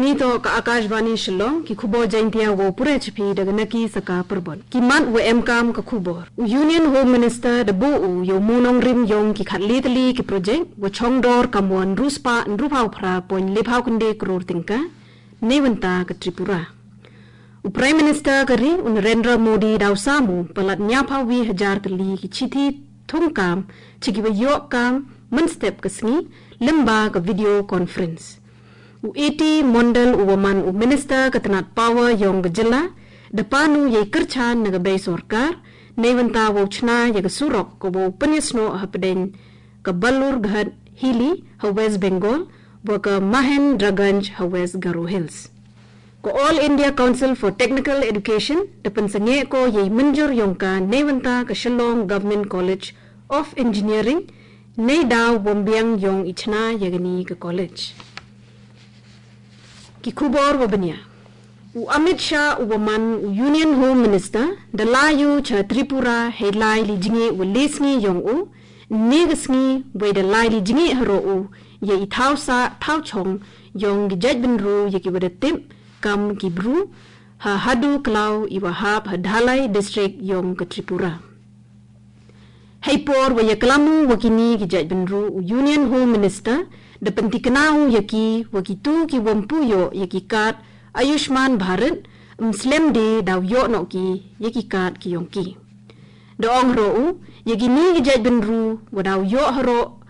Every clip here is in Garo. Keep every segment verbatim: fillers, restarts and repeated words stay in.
Nito ka Akashvani Shillong, ki khubor Jaintia wow pura chapi da ganaki saka perbon. Ki mat wa emkam ka khubor. U Union Home Minister da bo u yow monong rim yong ki khat letali ki project, wa chongdor kam wa nruspa nrupau phra point lepau kende crore tingka, ne wanta ka Tripura. U Prime Minister ka ri, u Narendra Modi daw samu, palat nyapau wi hajar tali ki chithi thungkam, chiki wa yok kam, mynstep ka sngi, limba ka video conference. U A T Mondal u waman u Minister ka tnat power yong ka jylla, da panu yei kyrchan na ka bei sorkar, ne wanta wow chna ya ka surok ka wow pynyasno hapdeng ka Balurghat Hilly ha West Bengal, wa ka Mahendraganj ha West Garo Hills. Ka All India Council for Technical Education, da pynsangeh ko yei mynjur yong ka ne wanta ka Shillong Government College of Engineering, nei daw wambiang yong i chna ya kani ka college. Ki khubor wa banya. U Amit Shah u waman u Union Home Minister, da layu cha Tripura hei lai li jingeh wa le sngi yong u, ne ka sngi, wei da lai li jingeh haro u, ya i thau sa, thau chong, yong ki jait bynru ya ki wa da tip, kam ki bru, ha Hadu Klau i wa hap ha Dhalai District yong ka Tripura. Hei por wa ya kalamu wa kini ki jait bynru u Union Home Minister, da pyntikna u ya ki wa ki tu ki wampu yo ya ki card Ayushman Bharat, mslem de daw yo no ki ya ki card ki yong ki. Da ong haro u, ya kini ki jait bynru wa daw yo haro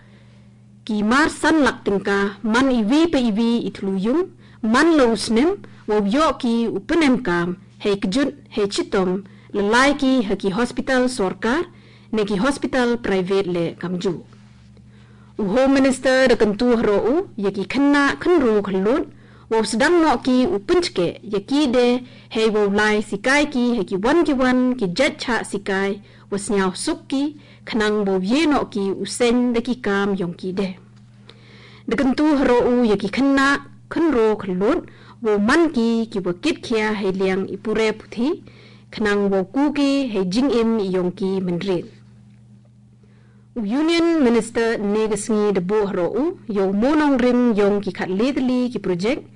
ki mar san lak tingka, man i wi pa i wi i thlu yung, man lo u snem, wow yo ki u pynem kam, hei kjut, hei chitom, lalai ki ha ki hospital sorkar, ne ki hospital private le kamju. U Home Minister da kyntu haro u, ya ki khynnah khynru khyllut, wow sdang no ki u pynchke, ya ki de, hei wow lai sikai ki, hei ki wan ki wan, ki jait cha sikai, wa sniaw suk ki, khnang wow ye no ki u seng da ki kam yong ki de. Da kyntu haro u ya ki khynnah, khynru khyllut, wow man ki, ki wa kit khia hei liang i pure puthi, khnang wow ku ki, hei jingim i yong ki mynrit. U Union Minister ne ka sngi da bo haro u, yow monong rim yong ki khat letali ki project,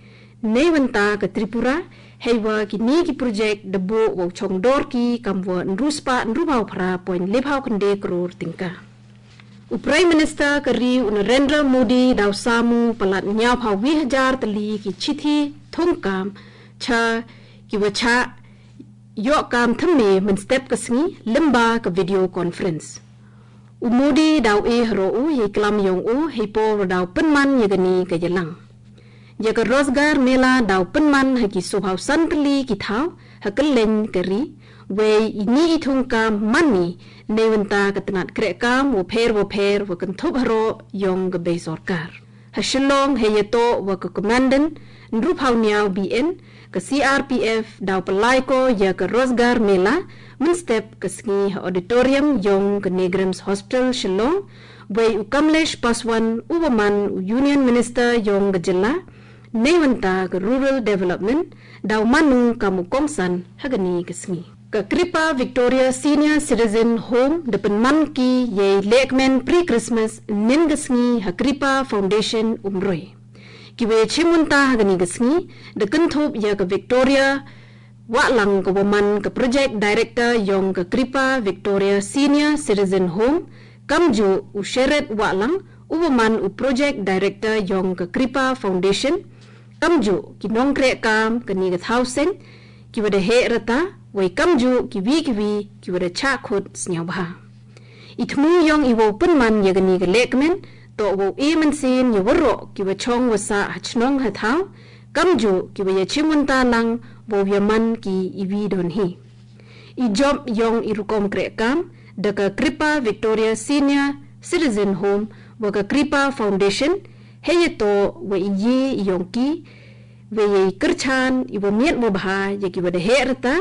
ne wanta ka Tripura, hei wa kini ki project da bo wow chongdor ki kam wa nruspa nrupau phra point lepau kende crore tingka. U Prime Minister ka ri u Narendra Modi daw samu palat nyapau wi hajar tali ki chithi thungkam cha ki wa cha yok kam thymme mynstep ka sngi limba ka video conference. U Modi daw e haro u yei klam yong u hei por daw pynman ya kani ka yalang. Ya ka Rozgar Mela daw pynman ha ki sophau san tali ki thau ha kylleng ka ri, wei ini i thungkam man ni ne wanta ka tnat kreh kam wa pher wa pher wa kynthup haro yong ka bei sorkar. Ha Shillong hei ya to wa ka Commandant, nrupau niaw B N, ka C R P F daw palai ko ya ka Rozgar Mela, mynstep ka sngi ha auditorium yong ka Negrams Hospital Shillong, wei u Kamlesh Paswan u waman u Union Minister yong ka jylla, ne wanta ka Rural Development, daw manu kam u kongsan ha kani ka sngi. Ka Kripa Victoria Senior Citizen Home da pynman ki yei lekmen pre-Christmas nin ka sngi ha Kripa Foundation Umroi. Ki wa ya chim wanta ha kani ka sngi, da kynthup ya ka Victoria Wahlang ka waman ka Project Director yong ka Kripa Victoria Senior Citizen Home, kamju u Sheret Wahlang u waman u Project Director yong ka Kripa Foundation, kamju ki nongkreh kam kani ka thau seng, ki wa da heh rata, wei kamju ki wi ki wi, ki wa da chah khut sniaw bha. I thmu yong i wow pynman ya kani ka lekmen, to wow e mynsiem ya waroh ki wa chong wa sah ha chnong ha thau, kamju ki wa ya chim wanta lang wow ya man ki i wi don hi. I jop yong i rukom kreh kam, da ka Kripa Victoria Senior Citizen Home, wa ka Kripa Foundation, hei ya to wa i ye i yong ki, wa ya i kyrchan, i wa miet wa bha, ya ki wa da heh rata,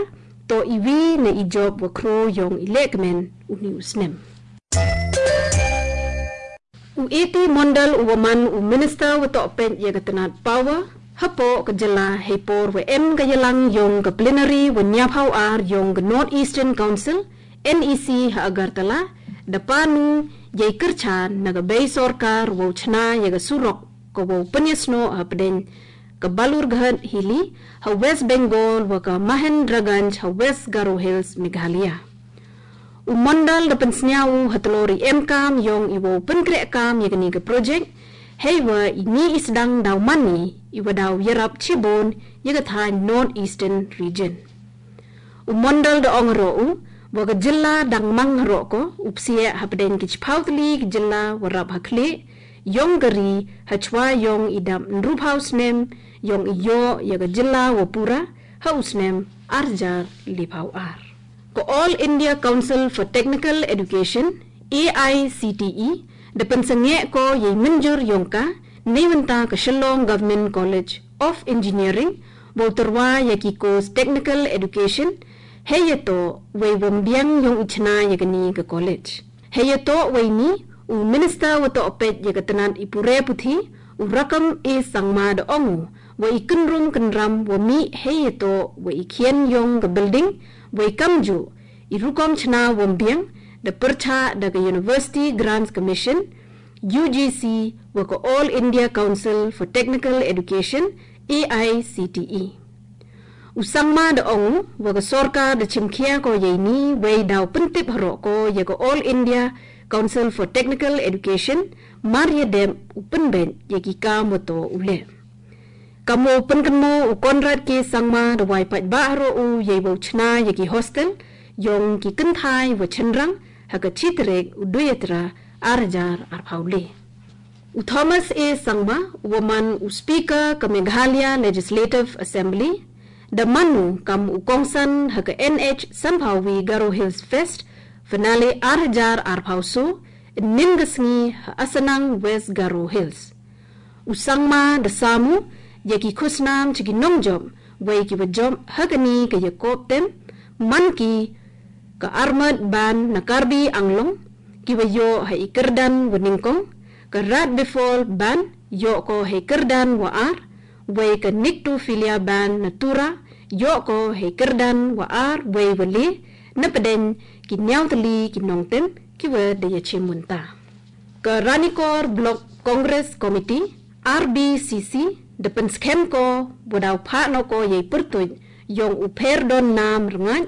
to i wi na i jop wa khro yong i lekmen, uni u snem. U A T Mondal u waman u Minister wa toh peit ya ka tnat power, hapoh ka jylla hei por wa em ka yalang yong ka plenary wa niaphau ar yong ka North Eastern Council, N E C ha Agartala, da panu, yei kyrchan, na ka bei sorkar, wow chna, ya ka surok, ka wow pynyasno hapdeng, ka Balurghat Hilly ha West Bengal wa ka Mahendraganj ha West Garo Hills, Meghalaya. U mondal da pynsñiaw u ha tlori emkam yong i wow pynkrehkam ya kani ka project, heiwa i mih i sdang daw man i, i wa daw yarap chibun ya ka thaiñ North Eastern Region. U mondal da ong haroh u, wa ka jylla dang mang haroh ko, u psiah hapdeng ki chiphaw tylli ki jylla wa rap ha khlieh, yong ka ri, ha chwa yong i dap ynruphaw snem, yong i yoh ya ka jylla wa pura, ha u snem arjar liphaw ar. Ka All India Council for Technical Education, A I C T E, da pynsangeh ko yei mynjur yong ka, neibynta ka Shillong Government College of Engineering, wow tyrwa ya ki course Technical Education, hei ya toh wei wambiang yong i chna ya kani ka college. Hei ya toh wei ni, u Minister wa toh peit ya ka tnat i pure puthi, u Rakkam A Sangma da ong u, wa i kynrum kynram wa mih hei ya toh wa i khian yong ka building, wa i kamjuh, i rukom chna wambiang, da pyrchah da ka University Grants Commission, U G C, wa ka All India Council for Technical Education, A I C T E. U Sangma da ong u, wa ka sorkar da chimkhia ko yei ni, wei daw pyntip haroh ko ya ka All India Council for Technical Education, mar ya dep u pynbeit ya ki kam wa toh u leh. Kam wow pynkynmaw u Conrad K Sangma da wai paidbah haroh u yei wow chna ya ki hostel, yong ki kynthai wa chynrang, ha ka chi tarik u Duitara, arjar arphaw le. U Thomas A Sangma, u wa man u Speaker ka Meghalaya Legislative Assembly, da man u kam u kongsan ha ka N H sanphaw wi Garo Hills Fest, finale arjar arphaw so, ynnin ka sngi ha Asanang West Garo Hills. U Sangma da sam u, ya ki khusnam cha ki nongjop, wei ki wa jop ha kani ka yakob tem, man ki ka Armed Band na Karbi Anglong, ki wa yoh ha i kyrdan wa nyngkong, ka Rat Befall Band, yoh ko ha i kyrdan wa ar, wei ka Nyctophilia Band na Tura, yoh ko ha i kyrdan wa ar, wei wa le, na pdeng ki ñiaw tylli ki nongtem, ki wa da ya chim mynta. Ka Ranikor Block Congress Committee, R B C C, da pynskhem ko, wa daw phah noh ko yei pyrtuid, yong u Pherdon Nam Rngait,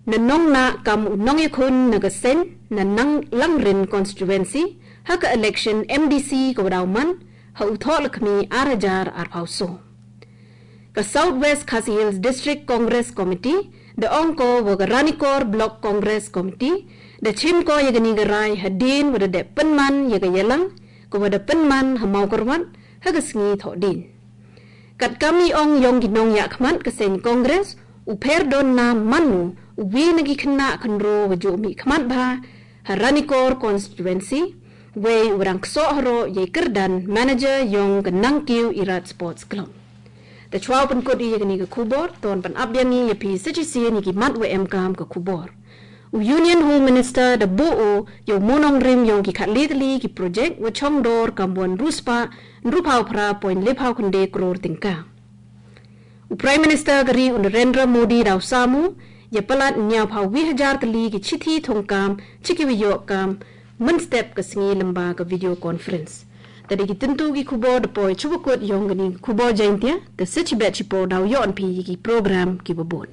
na nong na kam u nongyakhun na ka seng, na nang Langrin constituency, ha ka election M D C ka wa daw man, ha u Thohlakhmi arjar arphaw so. Ka South West Khasi Hills District Congress Committee, da ong ko wa ka Ranikor Block Congress Committee, da chim ko ya kani ka rai hadien wa da dep pynman ya ka yalang, ka wa da pynman ha Mawkyrwat, ha ka sngi Thohdien. Katkam i ong yong ki nongyahkhmat ka seng Congress, u Pherdon Nam man u, u wi na ki khynnah khynraw wa juh mihkhmat bha, ha Ranikor constituency, wei u rang ksoh haroh yei kyrdan manager yong ka Nangkiew Irat Sports Club. Da chwa u pynkut i ya kani ka khubor, to wan pynap biang i ya phi sa chisien ya ki mat wa emkam ka khubor. U Union Home Minister da buh u ya u monongrim yong ki khatle tylli ki project wa chongdor kam wa ynru spah ynruphaw phra point lephaw khyndai kror tyngka. U Prime Minister ka ri u Narendra Modi daw sam u, ya palat ñiawphaw wi hajar tylli ki chithi thungkam, cha ki wa yoh kam, mynstep ka sngi lyngba ka video conference. Tade ki tyntu ki khubor da poi chuwa kut yong kani ka khubor Jaintia, da sa chibet chipo daw yoh phi ya ki program ki wa bun.